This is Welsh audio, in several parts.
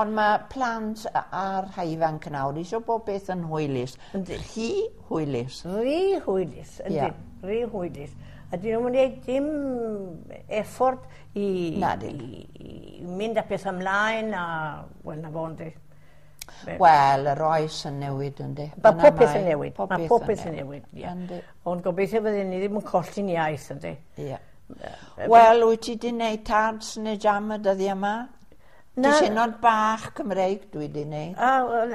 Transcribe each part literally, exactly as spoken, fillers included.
Ond mae plant a'r rhai ifanc nawr eisiau bob beth yn hwylus. Yndi. Rhy hwylus. Rhy hwylus, yndi. Ie. Rhy hwylus. A dyn nhw'n gwneud dim effort i, Nadi. i, i mynd â peth ymlaen a, wel, na fo, yndi. Wel, yr oes yn newid, yndi. Mae Dyna pob peth yn mae- newid. Pob Mae pob peth yn newid, ie. Yndi. Ond gobeithio fydden ni ddim yn colli'n iaith, yndi. Ie. Wel, wyt ti di wneud tarts neu jam y dyddiau yma? Na. Diwrnod bach Cymreig dwi di wneud. A, wel,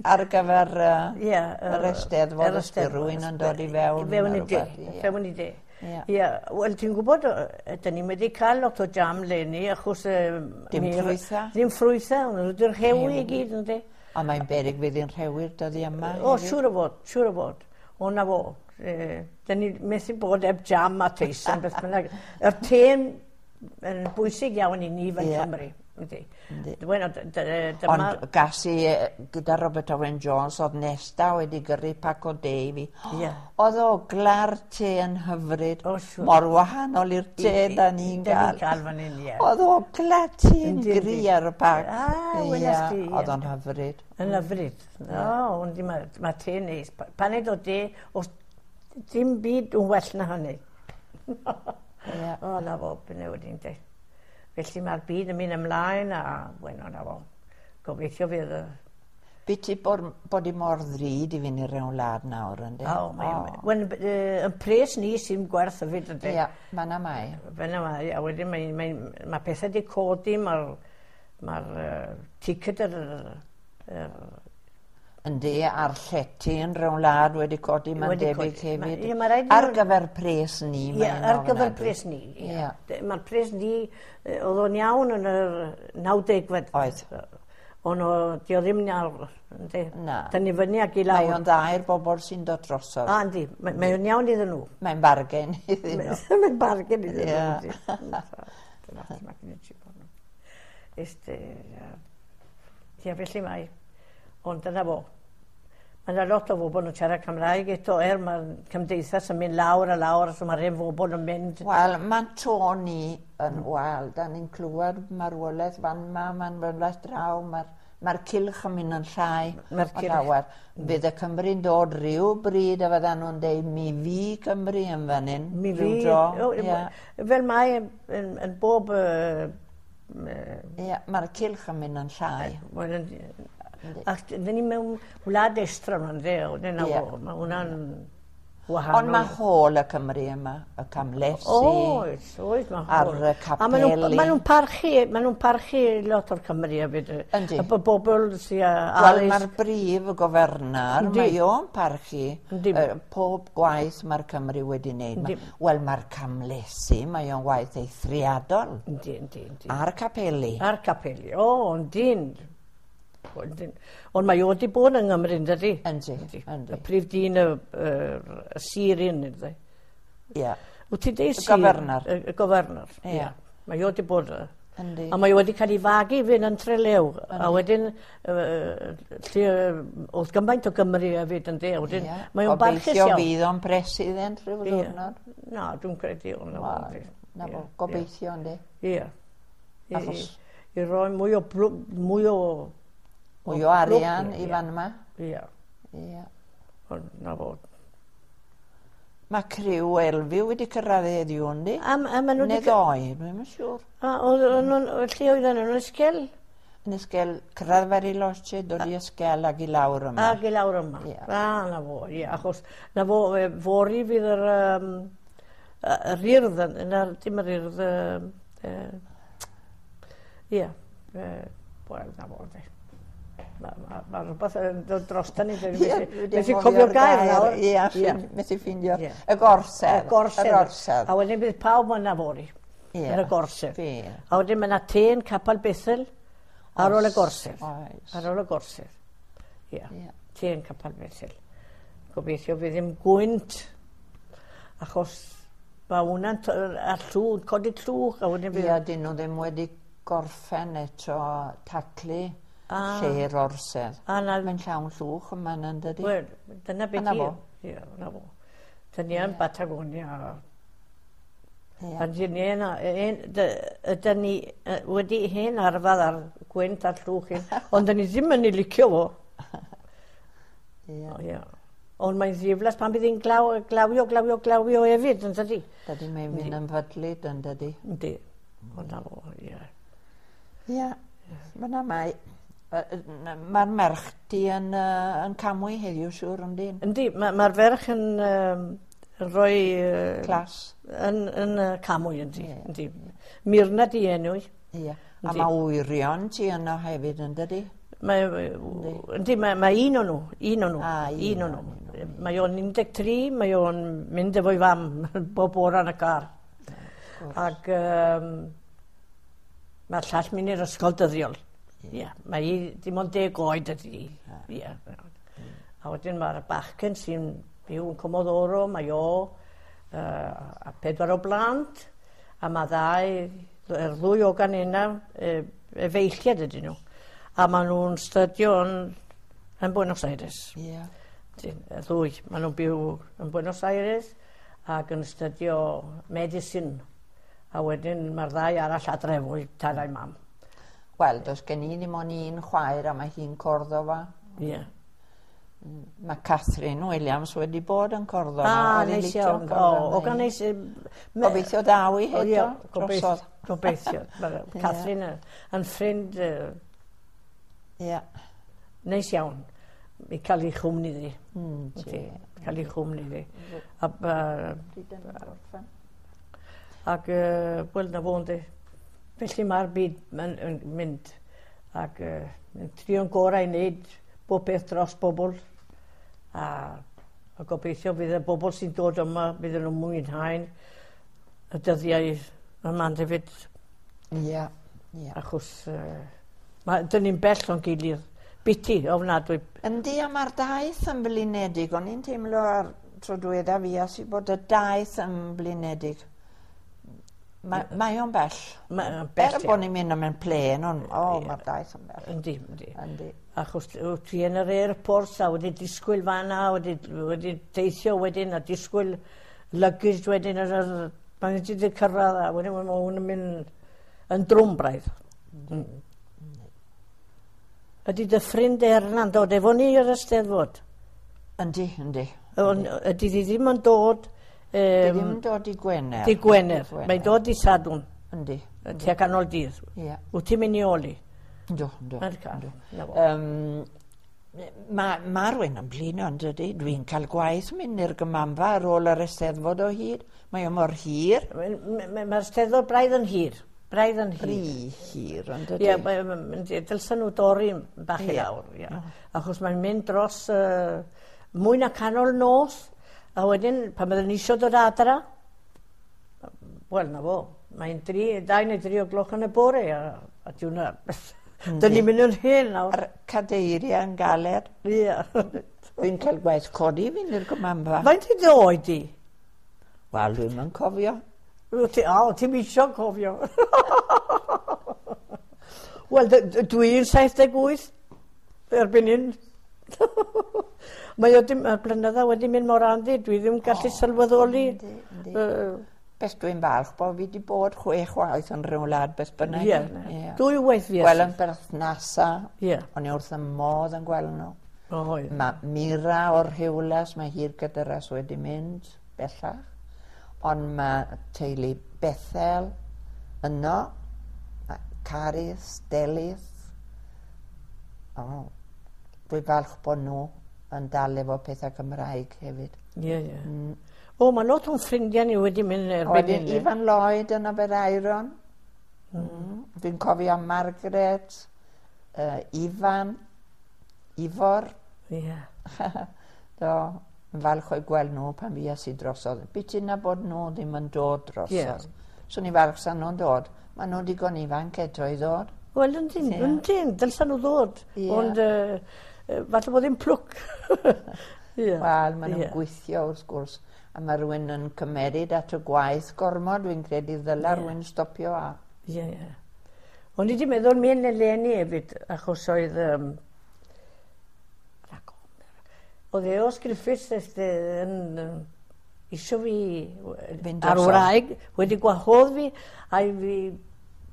Ar gyfer uh, ie. yr Eisteddfod, os bydd rhywun yn dod i fewn. Fewn i neu de. rhywbeth, ie. Fewn i de. Ie. Ie, wel, ti'n gwybod, yy, dyn ni wedi cael lot o jam leni, achos... yy, Dim mi- ffrwytha? Ddim ffrwytha, ond nhw wedi'r rhewi i gyd, yndi. A mae'n beryg fydd hi'n rhewi'r dyddiau yma. O, hefyd. siŵr o fod, siŵr o fod. O, na fo. Eh, Dyn ni methu bod heb jam a teisen, beth bynnag. Yr te'n yn bwysig iawn i ni fel Ie. Cymru. Yndi. Yndi. Wel, d- d- dyma... Ond gas i yy, gyda Robert Owen Jones, oedd Nesta wedi gyrru pac o de i fi. Ie. Oedd ogla'r te yn hyfryd. O, siŵr. Mor wahanol i'r te da ni'n Da ni'n gael. cael fan hyn, ie. Oedd ogla te'n Yndi, gry yndi. ar y pac. Ah, weles di, ie. Oedd o'n hyfryd. Yn hyfryd. O, ond mae ma te neis. Pa- Paned o de, os dim byd yn well na hynny. Ie. O, na fo, beth wedi de. Felly mae'r byd yn mynd ymlaen a, bueno, na fo. Gobeithio fydd y... Biti bod, bod i mor ddrud i fynd i'r rewn wlad nawr, yndi? O, mae... Wel, yy, yn pres ni sy'n gwerth hefyd, yndi? Ie, ma' 'na mae. Fel yma, mae, a wedyn mae, mae, mae pethau wedi codi, mae'r mae'r uh, ticket yr, yr Yndi, a'r llety yn rewn wlad wedi codi, mae'n Wedi debyg codi. Ma- hefyd. ie, ma' raid i Ar nhw- gyfer pres ni, Ie, mae'n ar gyfer ofnadwy. pres ni. Ie. Ie. De- Mae'r pres ni, yy, oedd o'n iawn yn yr nawdegfed. Oedd. Ond o, di o ddim nawr, yndi? Na. Dyn ni fyny ac i Mae lawr. o'n dda i'r bobl sy'n dod drosodd. A, yndi, mae, mae o'n iawn iddyn nhw. Mae'n bargen iddyn nhw. Mae'n bargen iddyn nhw. Ie. yndi. Este, ie, felly mae. Ond dyna fo. Mae yna lot o bobl yn siarad Cymraeg eto, er mae'r cymdeithas yn mynd lawr a lawr, so mae'r hen bobl yn mynd. Wel, mae'n to ni yn, wel, da ni'n clywed marwolaeth fan ma, mae'n marwolaeth draw, mae'r mae'r cylch yn mynd yn llai. Mae'r o cylch. llawer. Bydd y Cymru'n dod rhyw bryd a fyddan nhw'n deud mi fi Cymru yn fan hyn. Mi ryw fi, dro. o, Ie, fel mae yn, yn bob... Uh, Ie, mae'r cylch yn mynd yn llai. Wel, yn- ac dyn ni mewn wlad estron yn dde, dyna Ie. fo, mae hwnna'n wahanol. Ond mae hôl y Cymru yma, y camlesi. Oes, oes, mae Ar hôl. y A maen nhw'n capeli. ma nhw'n parchu, ma nhw'n parchu lot o'r Cymru hefyd. Yndi. Y bobl sy'n Wel, addysg. mae'r brif gofernor, Yndi. mae o'n parchu Yndi. yy, pob gwaith mae'r Cymru wedi wneud. Yndi. Ma- Wel, mae'r camlesi, mae o'n waith eithriadol. Yndi, yndi, yndi. A'r capeli. A'r capeli, o, yndyn. Yndyn. Ond mae o wedi bod yng Nghymru, ynddi? Yndi, yndi. Y prif dyn y, y, y sir un, ynddi? Ie, Wyt ti'n deud Y sir? gofernor. Y, y gofernor, Ie. ie. Mae o wedi bod... y- yndi. A mae o wedi cael ei fagu fynd yn Trelew. A wedyn, yy, lle oedd gymaint o Gymru hefyd yn de. Wedyn, Ie. mae o'n barchus Gobeithio iawn. fydd o'n president rhyw Ie. ddiwrnod. Na, dwi'n credu o'n Wel, Na fo, gobeithio yndi. Ie. I, Achos- i, i roi mwy o, blw- mwy o... Mwy o arian blwc, i ie. fan yma. Ie, Ie. ond na fo. Mae criw Elfyw wedi cyrraedd heddiw, yndi? A, a maen nhw Neu wedi... ddoe, dwi'm yn siŵr. A oedd oedd nhw'n... Lle oedden nhw'n ysgel? Yn ysgel, cyrraedd Bariloche, dod i ysgel ag i lawr yma. Ac i lawr yma. Ie. A, na fo, ie, achos na fo, e, fory fydd yr, um, yr urdd, yn- na, dim yr urdd, yy, yy, ie, yy, wel, na fo, de. Mae ma, ma rhywbeth yn dod drosta ni, Ie, dwi dwi methu 'di methu anghofio'r cofio'r gair nawr. Ie, Ie. methu ffindio. Ie. Y gorsedd. Y gorsedd. Yr orsedd. A wedyn bydd pawb yna fory, Ie. yn y gorsedd. Ie. A wedyn mae yna ten Capel Bethel ar ôl y gorsedd. Oes. Ar ôl y gorsedd. Ie. Ie. Ten Capel Bethel. Gobeithio fydd ddim gwynt, achos mae hwnna'n t- a llw, codi llwch, a wedyn fydd... Ie, dyn nhw ddim wedi gorffen eto taclu Ah. lle'r orsedd. A na, Mae'n llawn llwch yma yn dydi? wel, dyna beth A 'na i. fo. Ie, na fo. Dyn ni yn Batagonia. Ie. A dyn ni yna, ydyn ni wedi hen arfer ar gwynt a'r llwch hyn, ond dyn ni ddim yn ei licio fo. Ie. Ie. Ond mae'n ddiflas pan bydd hi'n glaw, glawio, glawio, glawio hefyd, yn dydi? Dydy mae'n mynd yn fydlyd, yn dydy? Yndi. Ond na fo, ie. Ie. Fyna mae. Mae'r merch di yn, uh, yn Camwy heddiw, siŵr, yndi? Yndi, mae'r ma ferch yn, um, yn rhoi... Uh, Clas. Yn, yn uh, Camwy, yndi. Ie. Yndi. Mirna di enw i. Ie. A mae wyrion ti yno hefyd, yn dydy? Mae, yndi, mae, mae un o'n nhw, un o'n nhw, Ah, un o'n nhw. Mae o'n un deg tri, mae o'n mynd efo'i fam bob bore yn y car. Ac um, mae'r llall mynd i'r ysgol dyddiol. Ie, yeah, mae hi dim ond deg oed ydy hi. Ie. A wedyn mae'r bachgen sy'n byw yn Comodoro, mae o uh, a pedwar o blant, a mae ddau, yr ddwy o gan yna, e, efeilliad ydyn nhw. A maen nhw'n stydio yn, yn Buenos Aires. Ie. Y ddwy, maen nhw'n byw yn Buenos Aires ac yn stydio medicine. A wedyn mae'r ddau arall adre efo'i tad a'i mam. Wel, does gen i ddim ond un chwaer a mae hi'n Cordoba. Ie. Yeah. Mae Catherine Williams wedi bod yn Cordoba. Ah, Oedd hi'n neis licio iawn. O, Cordoba, o gan hi. neis... Gobeithio daw i O, ie, heto, gobeithio. drosodd. Gobeithio. Mae Catherine yn, yn ffrind uh, Ie. neis iawn i cael ei chwmni ddi. Mm, Yndi, cael ei chwmni ddi. A, uh, Pryd yn gorffen. ac, uh, wel, na fo yndi. Felly mae'r byd yn, yn mynd ac uh, yn trio'n gorau i wneud bob peth dros bobl. A, a gobeithio fydd y bobl sy'n dod yma, bydd nhw'n mwynhau y dyddiau yma hefyd. Ie, ie. Achos uh, ma, dyn ni'n bell o'n gilydd. Biti, ofnadwy. Yndi, a mae'r daith yn blinedig. O'n i'n teimlo ar tro diwetha fi as i bod y daith yn blinedig. Ma, mae o'n bell. Mae o'n bell Er bod ni'n mynd am yn plen, ond o, Ie. mae'r daith yn bell. Yndi, yndi. Yndi. Achos wyt ti yn yr airport a wedi disgwyl fan'na, wedi, wedi teithio wedyn a disgwyl luggage wedyn ar yr... Pan ti wedi cyrraedd a wedyn mae hwn yn mynd yn drwm braidd. Mm. Ydy dy ffrind Erna'n dod efo ni i'r Eisteddfod? Yndi, yndi. Ond ydy di ddim yn dod Di um, ddim yn dod i Gwener. di Gwener. Di Mae'n dod i Sadwrn, Yndi. tua canol dydd. Ie. Wyt ti'n mynd i oli? Yndw, yndw. Mae'r car. Na fo. Um, Mae ma rhywun yn blino yn dydy. Dwi'n cael gwaith mynd i'r gymanfa ar ôl yr Eisteddfod o hyd. Mae o mor hir. Mae'r Steddfod braidd yn hir. Braidd yn hir. Rhy hir, yn dydy. Ie, mae- ma- ma- dylsen nhw dorri bach i Ie. lawr. Ie. Achos mae'n mynd dros uh, mwy na canol nos, a wedyn pan byddwn ni eisiau dod adra, wel, na fo, mae'n dri, dau neu dri o gloch yn y bore, a, a diwna, dyn ni'n mynd yn hen nawr. A'r cadeiriau yn galed. Ie. Dwi'n cael gwaith codi fynd i'r gymanfa. Faint i dy oed di? Wel, dwi'm yn cofio. Wyt ti, o, ti'n isio cofio. Wel, d- d- dwi'n saith deg wyth erbyn hyn. Mae o dim, mae'r blynydda wedi mynd mor handi, dwi ddim gallu sylweddoli. Yndi, yndi. Yy, Beth dwi'n falch bod fi wedi bod chwech waith yn rhyw wlad beth bynnag. Ie, Ie. dwy waith fi. Wel, yn berthnasa. Ie. O'n i wrth y modd yn gweld nhw. Oedd. Mae Mira o'r Rhiwlas, mae hi'r gydyras wedi mynd bellach. Ond mae teulu Bethel yno, mae Caris, Delyth. O, dwi'n falch bod nhw yn dal efo pethau Cymraeg hefyd. Ie, ie. O, mae lot o'n ffrindiau ni wedi mynd A erbyn wedyn hyn. Ifan Lloyd yn Aberaeron. Mm. Dwi'n cofio Margaret, uh, Ifan, Ifor. Ie. Do, yn falch o'i gweld nhw pan fues i drosodd. Biti na bod nhw ddim yn dod drosodd. Ie. Swn i falch sa nhw'n dod. Mae nhw digon ifanc eto i ddod. Wel, yndyn, Ie. yndyn, dylsan nhw ddod. Ie. Ond uh, falle bod ddim plwc. Ie. Wel, maen nhw'n Ie. gweithio wrth gwrs. A mae rhywun yn cymeryd at y gwaith gormod. Dwi'n credu ddyla Ie. rhywun stopio a... Ie, ie. O'n i wedi meddwl mynd eleni hefyd, achos oedd... Um, oedd Eos Griffiths este, yn, yn isio fi a'r wraig wedi gwahodd fi, a fi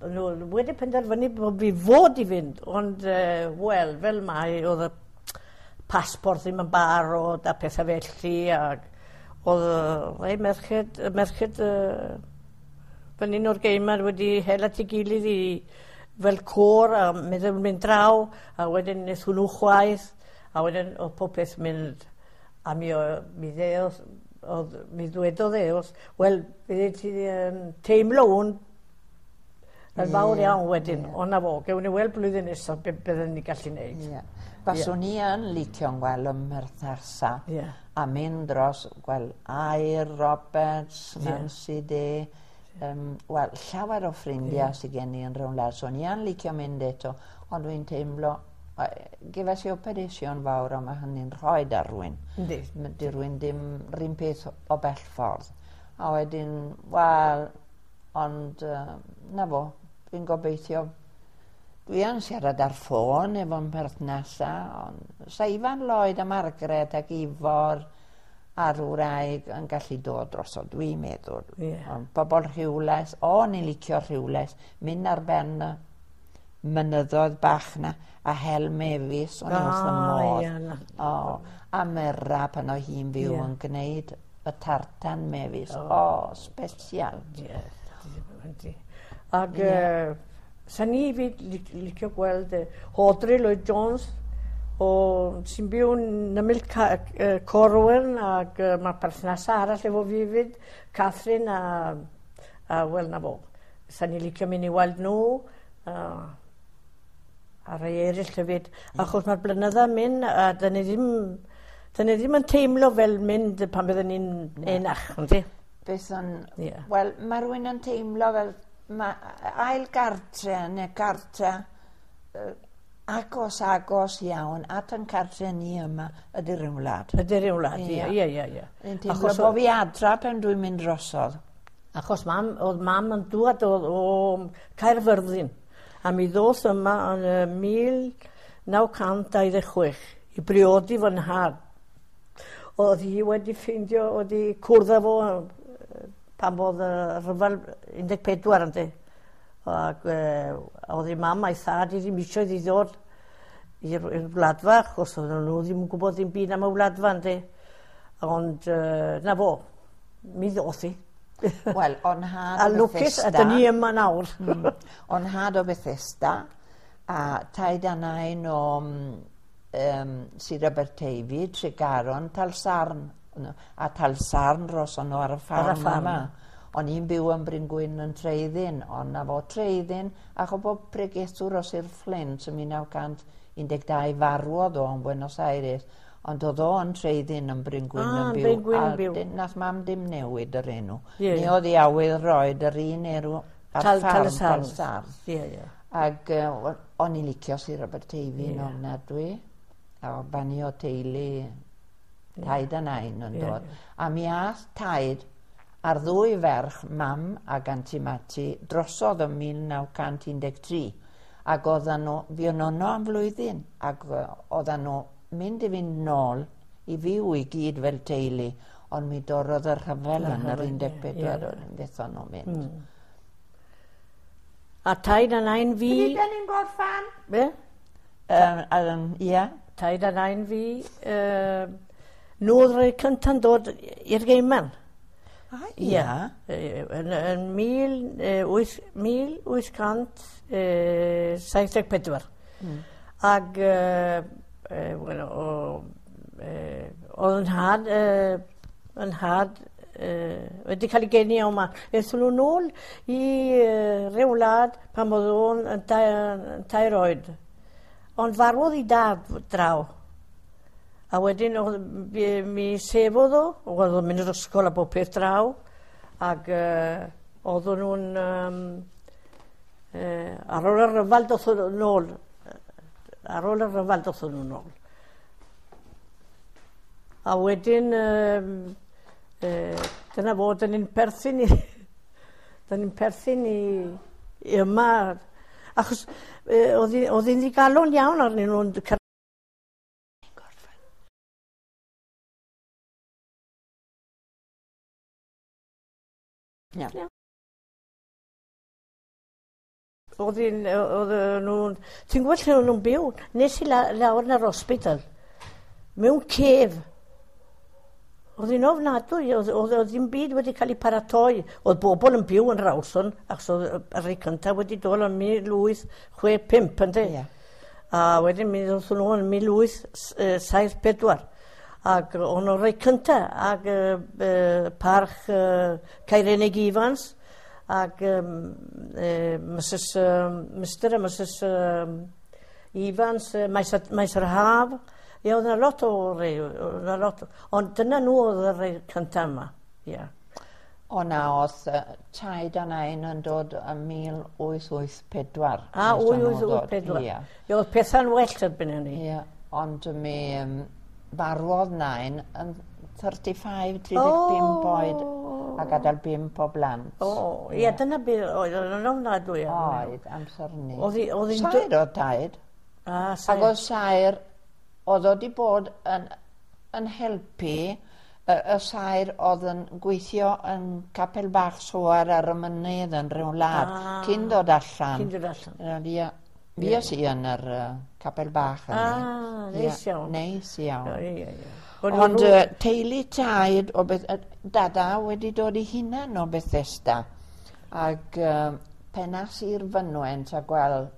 nhw wedi penderfynu bod fi fod i fynd, ond uh, wel, fel mae, oedd y passport ddim yn barod a pethau felly, ac oedd rhai merched, merched uh, fan hyn o'r Gaiman wedi hel at ei gilydd i fel côr a meddwl mynd draw, a wedyn wnaeth hwnnw chwaith, a wedyn oedd popeth mynd, a mi, mi ddeodd, oedd, mi ddwedodd e, wel, bydde ti um, teimlo hwn yn fawr iawn wedyn, yeah. Ond na fo, gewn ni weld blwyddyn nesaf be byddwn ni gallu neud. Yeah. Baswn i yn licio'n gweld ym Mherthnasa, yeah. A mynd dros, gweld Air Roberts, Nancy yeah. Day, um, wel, llawer o ffrindiau yeah. sydd gen i yn rhywle, so ni yn licio mynd eto, ond dwi'n teimlo, gefais i operation fawr, ond mae hynny'n rhoi ar rywun. Yndi. Di rywun dim rhywun peth o bell ffordd. A wedyn, wel, ond uh, na fo, dwi'n gobeithio. Dwi yn siarad ar ffôn efo'n perthnasau, ond sa Ifan Lloyd a Margaret ac Ifor a'r wraig yn gallu dod drosodd, dwi'n meddwl. Yeah. Ond bobl Rhiwlas, o, ni'n licio Rhiwlas, mynd ar ben y mynyddoedd bach na, a hel mefus, o'n i wrth y modd. Yeah, o, a Mera pan oedd hi'n fyw yeah. yn gwneud y tartan mefus. O, oh, special. Yeah. Ac yeah. uh, sa ni fyd licio gweld Audrey Lloyd Jones o, sy'n byw yn ymyl Corwen, ac uh, mae perthnasau arall efo fi fyd, Catherine a, a wel na fo. Sa ni licio mynd i weld nhw, uh, a rhai eraill hefyd, achos mae'r blynyddoedd mynd a dyn ni ddim, dyn ni ddim yn teimlo fel mynd pan byddwn ni'n enach, yndi? Beth yn... Yeah. Wel, mae rhywun yn teimlo fel ma, ail gartre neu gartre uh, agos agos iawn at yn cartre ni yma ydy'r un wlad. Ydy'r un wlad, ie, ie, ie. ie. Yn teimlo bod fi adra pan dwi'n mynd drosodd. Achos mam, oedd mam yn dŵad o, o Caerfyrddin, a mi ddoth yma yn mil naw cant dau ddeg chwech i briodi fy nhad. Oedd hi wedi ffeindio, oedd hi cwrdd â fo pan oedd y rhyfel un deg pedwar yndi. Ac oedd ei mam a'i thad i ddim eisiau iddi ddod i'r wladfa, achos oedden nhw ddim yn gwybod ddim byd am y wladfa yndi. Ond na fo, mi ddoth hi. Wel, o'n nhad o o Bethesda. A lwcus, a dyn ni yma nawr. mm, o'n nhad o Bethesda, a taid a nain o um, Sir Aberteifi, Tregaron, Talsarn. A Talsarn roson nhw ar y ffarm yma. O'n i'n byw yn Bryn Gwyn yn Treuddyn, ond na fo Treuddyn, ac o bob pregethwr o Sir Flint yn mil naw cant un deg dau farwodd o yn Buenos Aires, ond oedd o yn Treuddyn yn Bryn Gwyn ah, yn byw, Bryn Gwyn a byw. Nath mam dim newid yr enw. Yeah, Ni yeah. oedd i awydd roed yr un enw ar Tal, ffarm Talsarn. Talsarn. Yeah, yeah. Ac uh, o'n i'n licio Sir Aberteifi'n yeah. ofnadwy, a ban i o teulu taid a nain yn yeah, dod. Yeah. A mi ath taid a'r ddwy ferch, mam ac Anti Mati, drosodd ym mil naw cant un deg tri. Ac oedden nhw, fuon nhw yno am flwyddyn, ac oedden nhw mynd i fynd nôl i fyw i gyd fel teulu, ond mi dorrodd y rhyfel yn yr un deg pedwar, fethon nhw mynd. Mm. A taid a nain fi... Pryd da ni'n gorffan? Be? Um, um, ia. Taid a nain fi, uh, nhw oedd rhai cynta'n dod i'r Gaiman. Ah, ia. Yn, yn mil wyth cant saith deg pedwar. Mm. Ac, uh, bueno, o, uh, oedd yn nhad, uh, yn nhad uh, wedi cael ei geni yma. Aethon nhw nôl i uh, ryw wlad pan oedd o'n yn tair oed. Ond farwodd ei dad draw. A wedyn oedd, mi sefodd o, oedd o'n mynd i'r ysgol a bob peth draw, ac uh, oedden nhw'n, um, uh, ar ôl y rhyfel doth nhw nôl, ar ôl y rhyfel doth nhw nôl. A wedyn, um, uh, dyna fo, dyn ni'n perthyn i, dyn ni'n perthyn i, i yma, achos uh, oedd hi'n ddigalon iawn arnyn nhw'n Ia. Ia. Oedd hi'n, oedd nhw'n, ti'n gwybod lle o'n nhw'n byw? Nes i la, lawr yn yr hospital, mewn cef. Oedd hi'n ofnadwy, oedd, oedd, oedd ddim byd wedi cael ei paratoi. Oedd bobl yn byw yn Rawson, achos oedd y rhai cyntaf wedi dod yn mil wyth chwe pump, ynddi? Ie. A wedyn mi ddoth nhw yn mil wyth saith pedwar. Ac o'n nhw'n rhai cyntaf, ac uh, uh, parch uh, Cairenig Evans, ac um, uh, Missus Um, Mister a Missus Um, Evans, uh, Maes, Maes yr Haf. Ie, oedd yna lot o rei, oedd yna lot. Ond dyna nhw oedd y rei cyntaf yma. Ie. O na, oedd uh, taid a nain yn dod yn mil wyth wyth pedwar. A, Nes o'n nhw wyth wyth ddod. pedwar. Ie. Ie, oedd pethau'n well erbyn hynny. Ie, ond mi um, farwodd nain yn thirty-five, tri deg pump oed a gadael bump o blant. O, ie, dyna beth oedd yn ofnadwy. Oedd, amser ni. Oedd hi- oedd hi'n Saer oedd taid. A, Ac saer. oedd saer, oedd o wedi bod yn, yn helpu y, y saer oedd yn gweithio yn Capel Bach Soar ar y mynydd yn rhyw wlad, Ah. cyn dod allan. Cyn dod allan. Ie, fues i yn yr uh, Capel Bach yna. Ah, neis iawn. Neis iawn. Ie, ie, ie. Ond uh, teulu taid o beth, uh, dada wedi dod i hunan o Bethesda. Ac uh, penas i'r fynwent a gweld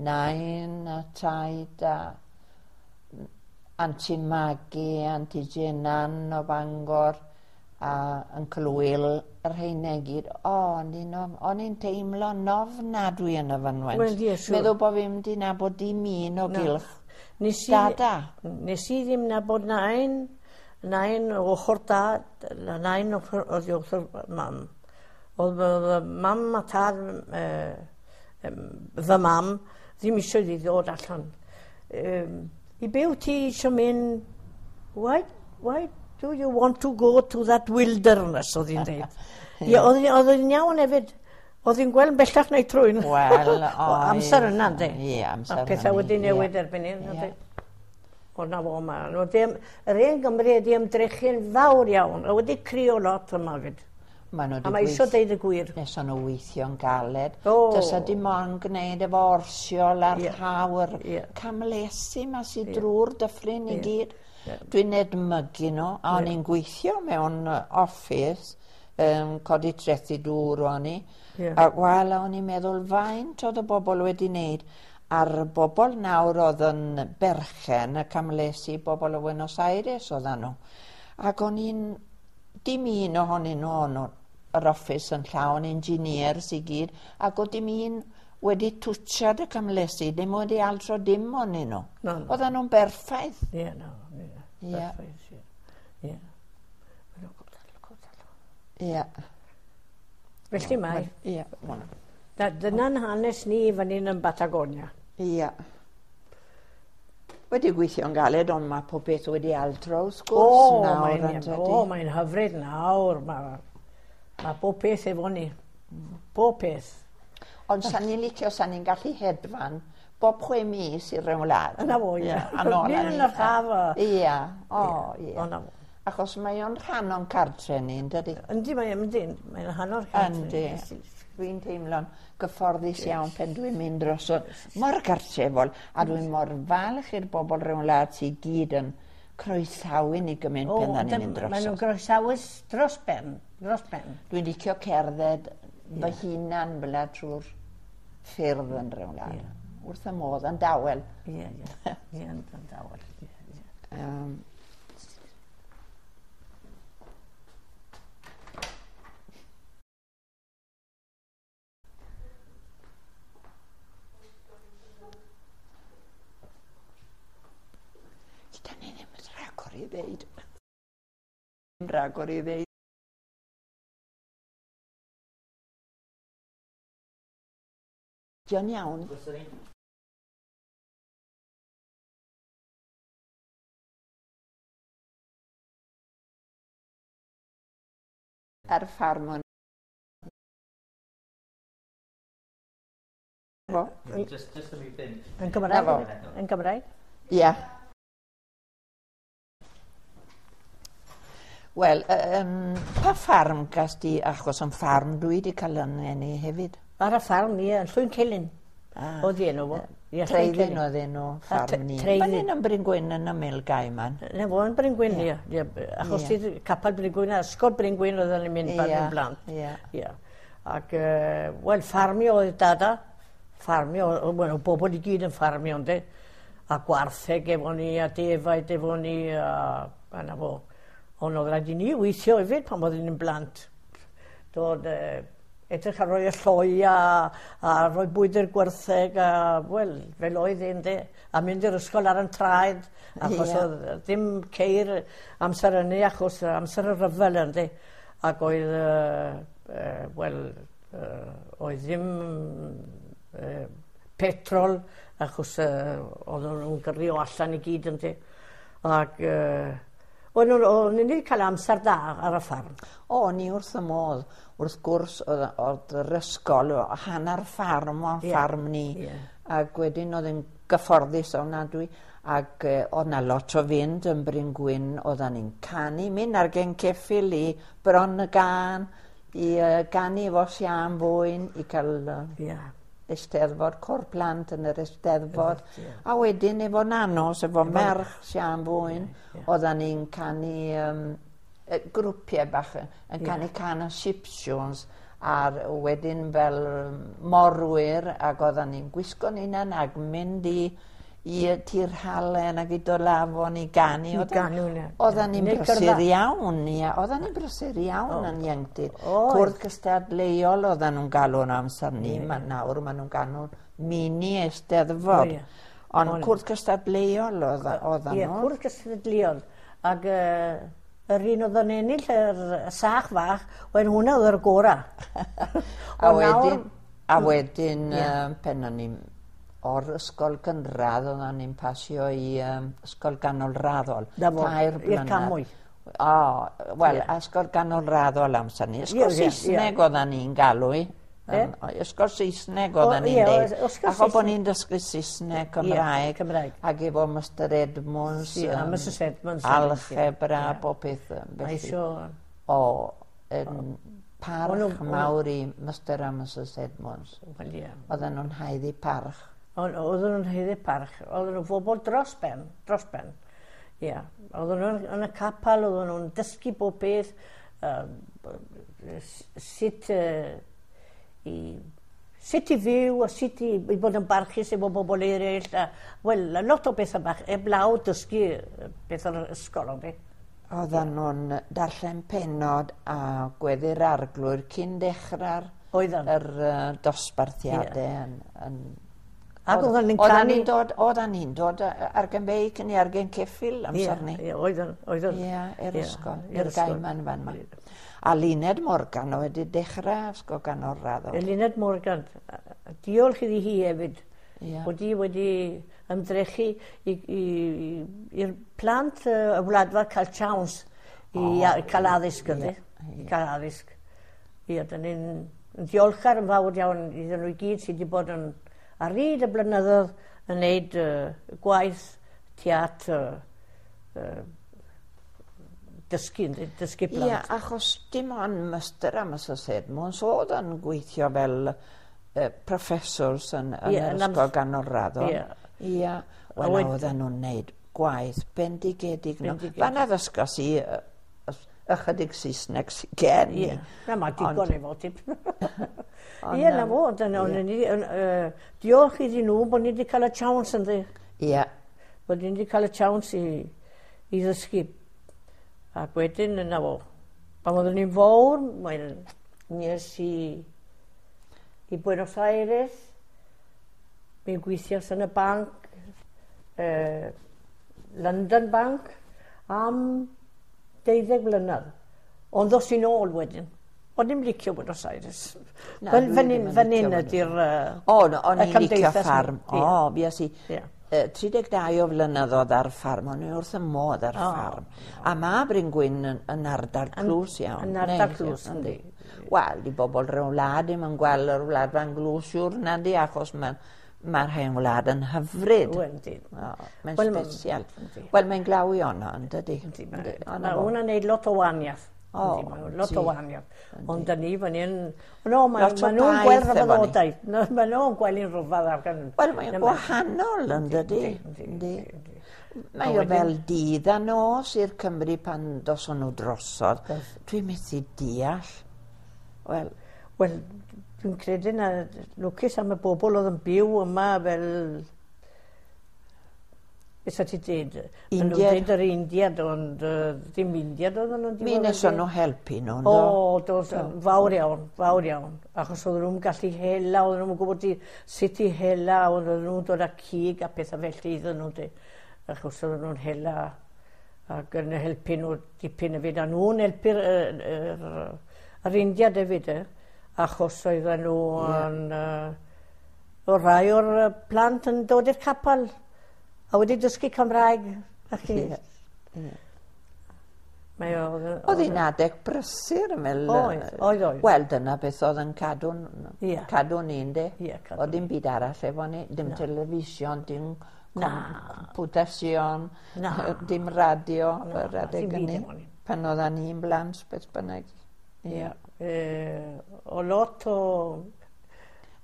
nain a taid a Auntie Maggie, Auntie Jenan o Bangor a Uncle Will, yr rheina i gyd. O, o'n i'n of- o'n i'n teimlo ofnadwy yn y fynwent. Wel, ie, siŵr. Meddwl bod fi'n mynd i nabod dim un o Na. gylch. Nes i, Dada. Nes i ddim nabod nain, nain o ochr dad, na nain ochr, oedd i ochr mam. Oedd oedd mam a tad, eh, em, fy mam, ddim eisiau iddi ddod allan. Um, I byw ti eisiau mynd, why, why do you want to go to that wilderness, oedd hi'n dweud. Ie, oedd hi- oedd hi'n iawn hefyd. Oedd hi'n gweld bellach na'i trwyn. Wel, O, amser yna, yndi? Ie, amser A pethau hynny, wedi ie. newid erbyn hyn, Ie. yndi? O, na fo, ma. Nhw ddim, yr hen Gymru wedi ymdrechu'n fawr iawn, a wedi crio lot yma fyd. Ma' nhw A 'di mae eisiau gweith- deud y gwir. Nes o'n nhw weithio'n galed. O. Dysa dim ond gwneud efo orsiol a'r Ie. rhaw, yr Ie. camlesi ma sy drwy'r dyffryn i Ie. gyd. Ie. Dwi'n edmygu nhw, a o'n Ie. i'n gweithio mewn yy, office, um, codi trethi dŵr o'n i. Ie. A wel, o'n i'n meddwl faint oedd y bobl wedi wneud. A'r bobl nawr oedd yn berchen y camlesi, bobl o Buenos Aires oedden nhw. Ac o'n i'n, dim un ohonyn nhw, o'n nhw, yr office yn llawn engineers i gyd, ac oedd dim un wedi twtsiad y camlesi, ddim wedi altro dim ohonyn nhw. Na, na. Oedden nhw'n berffaith. Ie, na, ie. Ie. Perffaith, ie. Ie. Ie. Felly mae. Ie. Na, dyna'n hanes ni fan hyn yn Batagonia. Ie. Wedi gweithio'n galed, ond mae pob beth wedi altro wrth O, gwrs nawr, mae'n yn dydi? o, mae'n hyfryd nawr. Mae ma bob peth efo ni. Bob peth. Ond sa'n ni'n licio, sa'n ni'n gallu hedfan bob chwe mis i ryw wlad. Yna fo, ie. A nôl â Nid ni. yn yr haf. a- Ie, o, ie. O, na fo. Achos mae o'n rhan o'n cartre ni, yn dydi? Yndi, mae'n yndi, mae'n rhan o'r cartre. Yndi. Dwi'n teimlo'n gyfforddus iawn pen dwi'n mynd dros o mor gartrefol, a dwi'n mor falch i'r bobl rhyw wlad sydd gyd yn croesawu ni gymaint O, pen da ni'n mynd dy- Maen nhw'n drosodd. groesawus dros ben, dros ben. Dwi'n licio cerdded fy hunan fel 'na trwy'r ffyrdd yn rhyw wlad. Wrth y modd, yn dawel. Ie, ie. Ie, yn yn dawel. Ie, ie. Um, Gyda ni ddim rhagor i ddeud. Ddim rhagor i ddeud. Dio'n iawn. Ar ffarm o'n... Fo? Just, just am i fynd. Yn Gymraeg? Na fo. Yn Gymraeg? Ia. Wel, um, pa ffarm gas di, achos yn ffarm dwi wedi cael yn eni hefyd? Ar y ffarm, ie, yn Llwyn Celyn. Ah, Oedd enw fo. Ie, Llwyn Treiddyn Celyn. oedd enw ffarm ni. Treiddyn. Fan hyn yn Bryn Gwyn yn ymyl Gaiman. Na fo, yn Bryn Gwyn, ie. Ie, achos Ie. yeah. Capel Bryn Gwyn, a ysgol Bryn Gwyn oedden ni'n mynd pan Ie, yn blant. ie. Ie. Ac, uh, wel, ffarmio oedd dada. Ffarmio, wel, o bobl i gyd yn ffarmio, ynddi. A gwartheg efo ni, a defaid efo ni, a, a na fo. Ond oedd rhaid i ni weithio hefyd pan oeddwn ni'n blant. Dod, uh, edrych ar roi y lloi a, a rhoi bwyd i'r gwartheg a, wel, fel oedd e, ynde. A mynd i'r ysgol ar yn traed, achos Ie. oedd ddim ceir amser hynny, achos amser y rhyfel ynde. Ac oedd, uh, uh, wel, uh, oedd ddim uh, petrol, achos uh, oedden nhw'n gyrru o allan i gyd ynde. Ac uh, o'n nhw'n ni wedi cael amser da ar y ffarm. O, ni wrth y modd. Wrth gwrs, oedd, oedd yr ysgol, o hanner ffarm o'n Ie. ffarm ni. Ie. Ac wedyn oedd yn gyfforddus ofnadwy. Ac eh, oedd na lot o fynd yn Bryn Gwyn, oeddan ni'n canu, mynd ar gen ceffyl i Bron y Gân, i uh, ganu efo Sian Fwyn, i cael uh, Ie. Eisteddfod, cor plant yn yr Eisteddfod. Ie. A wedyn efo Nanos, efo merch Sian Fwyn, Ie, ie. oeddan ni'n canu um, grwpiau bach, yn canu cân y Sipsiwns, a'r wedyn fel yym, morwyr, ac oeddan ni'n gwisgo'n hunan ac mynd i i y Tir Halen ac i Dolafon i ganu. I Oeddan- ganu, ie. Oeddan ni'n Neu brysur gyrfa. iawn, ia. Oeddan ni'n brysur iawn yn ieuenctid. Oedd. Cwrdd cystadleuol oeddan nhw'n galw yn amser ni. Ma, nawr maen nhw'n galw mini eisteddfod. O, ie. Ond Ond- cwrdd cystadleuol oedda- oeddan Ie, nhw. cwrdd cystadleuol. Ac uh, yr un oedd yn ennill yr sach fach, oedd hwnna oedd yr gora. A Ond nawr- wedyn, a wedyn Ie. um, pen o'n i'n o'r ysgol gynradd oeddan ni'n pasio i um, ysgol ganolraddol. Na fo, Tair i'r blynedd. Camwy. O, wel, Ie. ysgol ganolraddol amser ni. Ysgol Ie, ie, ie. Saesneg oeddan ni'n galw i. Ie? Um, ysgol Saesneg oeddan O, ni'n ie, deud. ysgol Achos bod Saesneg. ni'n dysgu Saesneg, Cymraeg. Cymraeg. Ac efo Mister Edmunds. Ie, a yym, Missus Edmunds hefyd, ie. Algebra, Ie. bob peth. yym, Mae Felly. isio... O, yn parch O'n nhw- mawr i Mister a Missus Edmunds. Wel, ie. Oedden nhw'n haeddu parch. Ond oedden nhw'n haeddu parch. Oedden nhw'n bobl dros ben, dros ben. Ie. Oedden nhw'n yn y capel, oedden nhw'n dysgu bob peth, um, sut uh, i sut i fyw a sut i, i bod yn barchus efo bobl eraill. A, wel, a lot o bethau bach, eblaw dysgu yy, beth o'r ysgol, ond Oedden nhw'n darllen penod a gweddi'r arglwydd cyn dechrau'r Oedden. yr uh, dosbarthiadau yn, yn Ac oedden ni'n Oedden canu- ni'n dod, oedden ni'n dod ar gen beic neu ar gen ceffyl amser ni. Ie, oedden, oedden. Ie, i'r Ie, ysgol, i'r i'r ysgol. Gaiman fan 'ma. A Luned Morgan oedd wedi dechrau ysgol ganolraddol. Luned Morgan, diolch iddi hi hefyd. Ie. Bod hi wedi ymdrechu i- i- i'r plant yy, y wladfa cael chance i O, a- cael addysg ynddi. ie, I cael addysg. Ie, dyn ni'n yn diolchgar yn fawr iawn iddyn nhw i gyd sydd wedi bod yn ar hyd y blynyddoedd yn neud uh, gwaith tuag at uh, uh, dysgu, yndi, dysgu Ie, plant. achos dim ond Mister a Missus Edmunds oedd yn gweithio fel uh, professors yn, yn Ie, yr yn ysgol ams- ganolraddol. Ie. Ie, wel, wed- oedden nhw'n neud gwaith bendigedig. nhw. Bendigedig. Fan addysgos i yy, ys- ychydig Saesneg sydd gen i. Ie, na mae digon Ond- efo ti. Ond, Ie, na yym, fo, dyna, o'n ni, yn, yy, diolch iddyn nhw bod ni wedi cael y chance ynddi. Ie, Bod ni wedi cael y chance i, i ddysgu. Ac wedyn, yna fo. Pan oeddwn ni'n fawr, mae'n nes i, i Buenos Aires, mi'n gweithios yn y banc, eh, London Bank, am deuddeg mlynedd. Ond ddos i'n ôl wedyn. O'n i'n licio Buenos Aires. Na, Fel dwi fan ddim hyn yn fan licio hyn Buenos ydy'r yy, O, no, o'n y i'n licio cymdeithas. ffarm. Ie. O, fues i Ie. yy, tri deg dau o flynyddoedd ar ffarm. O'n i wrth y modd ar O. ffarm. A mae Bryn Gwyn yn, yn ardal clws iawn. yn ardal Neis clws, iawn, yndi. Wel, di bobl rhyw wlad ddim yn gweld yr wlad fan glws siwr na di, achos mae'n Mae'r hen wlad yn hyfryd. Yndi. Mae'n special. Wel, mae'n glawio yno, yn dydi? Mae hwnna'n neud lot o wahaniaeth. O, lot o wahaniaeth. Ond da ni fan hyn... No, mae nhw'n gweld rhyfeddodau. Mae nhw'n gweld un rhyfedd. Wel, mae'n gwahanol, yn dydi? Yndi. Mae o fel dydd a nos i'r Cymru pan doson nhw drosodd. Dwi'n methu deall. Wel... Wel, dwi'n credu na lwcus am y bobl oedd yn byw yma fel... Beth ti dweud? Maen nhw'n dweud yr Indiad, ond uh, ddim Indiad oedd nhw'n Mi wnaethon nhw helpu nhw, do? O, dos, fawr iawn, fawr iawn. Achos oedden nhw'n gallu hela, oedden nhw'n gwybod i, sut i hela, oedden nhw'n dod â cig a pethau felly iddyn nhw. De. Achos oedden nhw'n hela ac yn helpu nhw dipyn hefyd. A nhw'n helpu'r yr, yr, yr Indiad hefyd, eh? Achos oedden nhw yeah. yn... Uh, o rai o'r plant yn dod i'r capel a wedi dysgu Cymraeg. Ie. Mae oedd hi'n adeg brysur yn fel... Oedd, oedd, oedd. Wel, dyna beth oedd yn cadw'n yeah. cadw ni, ynddi? Yeah, oedd dim byd arall efo ni, dim no. television, dim computasion, dim radio, yr adeg hynny. Pan oeddan ni'n blant, beth bynnag. Ie. Yeah. E, o lot o...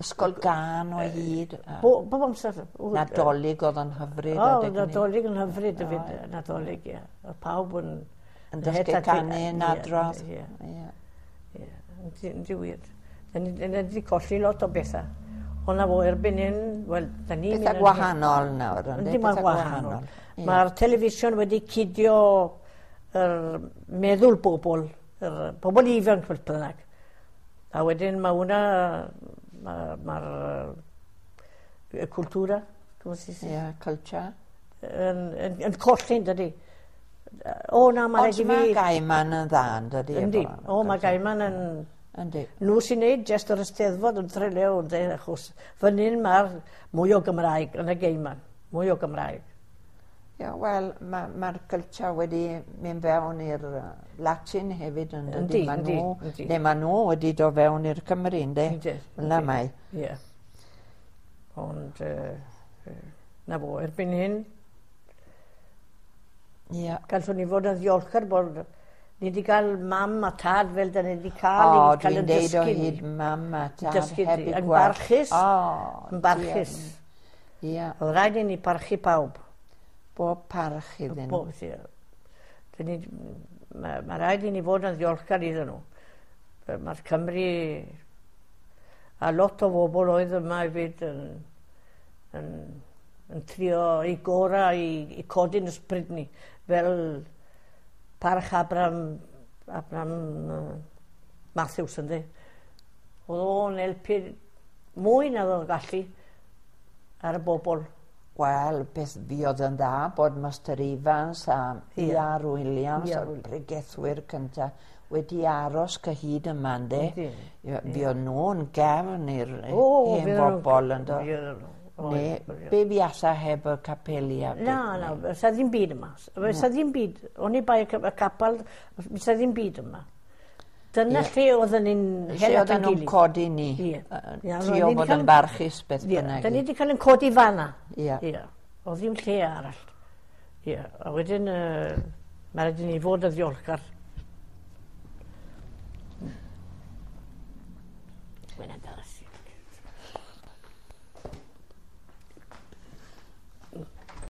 Ysgol gân o hyd. Bo, bob amser. Nadolig oedd yn hyfryd. O, Nadolig yn hyfryd hefyd, Nadolig, ie. Oedd pawb yn... Yn dysgu canu yn adrodd. Ie, ie. Yndi wir. Da ni wedi colli lot o bethau. Ond na fo, erbyn hyn, wel, da ni'n... Pethau gwahanol nawr, yndi? Yndi, mae'n gwahanol. Mae'r television wedi cydio yr meddwl bobl, yr bobl ifanc fel bynnag. A wedyn mae hwnna, mae'r cultura, Ie, culture. Yn, yn, yn colli, dydy. O, na, mae rhaid i fi... Ond mae Gaiman yn dda, yn dydy? Yndi. O, mae Gaiman yn... Yndi. Nhw sy'n neud jyst yr Eisteddfod yn Trelew, yndi, achos fan hyn mae'r mwy o Gymraeg yn y Gaiman. Mwy o Gymraeg. Ie, wel, mae'r ma culture wedi mynd fewn i'r Latin hefyd, yn dydy? Yndi, yndi. Neu ma nhw wedi dod fewn i'r Cymru, yndi? Yndi. Yna mae. Ie. Ond, uh, na fo, erbyn hyn, yeah. Gallwn ni fod yn ddiolchgar bod ni wedi cael mam a tad fel da ni wedi cael. O, dwi'n deud o hyd mam a tad dysgu heb i yn gweld. Barchus, oh, yn barchus. Ie. Yeah. Oedd rhaid i ni parchu pawb. Bob parch iddyn nhw. Bob, ie. Ni, mae, ma rhaid i ni fod yn ddiolchgar iddyn nhw. Mae'r Cymru a lot o bobl oedd yma hefyd yn, yn, yn trio i gorau i, i codi'n ysbryd ni, fel parch Abraham, Abraham uh, Matthews, yndi. Oedd o'n helpu mwy na oedd o'n gallu ar y bobl. Wel, beth fi oedd yn dda bod Master Evans a Ie. E R Williams, E R y pregethwyr cynta, wedi aros cyhyd yma, yndi. Yndi. Fi oedd nhw'n gefn i'r O, hen fydd nhw'n- bobl, yndo. Fi oedd nhw. Ne, be fuasa heb y capeli a Na, na, sa ddim byd yma. Sa ddim byd. O'n i bai y capel, sa ddim byd yma. Dyna Ie. lle oedden ni'n Lle hel at oedden ein nhw'n gilydd. codi ni. Ie. Yy, Ie, Trio roedden ni fod cael- yn barchus beth Ie, bynnag. da ni wedi cael ein codi fanna. Ie. Ie. Oedd ddim lle arall. Ie. A wedyn, uh, mae rhaid i ni fod yn ddiolchgar.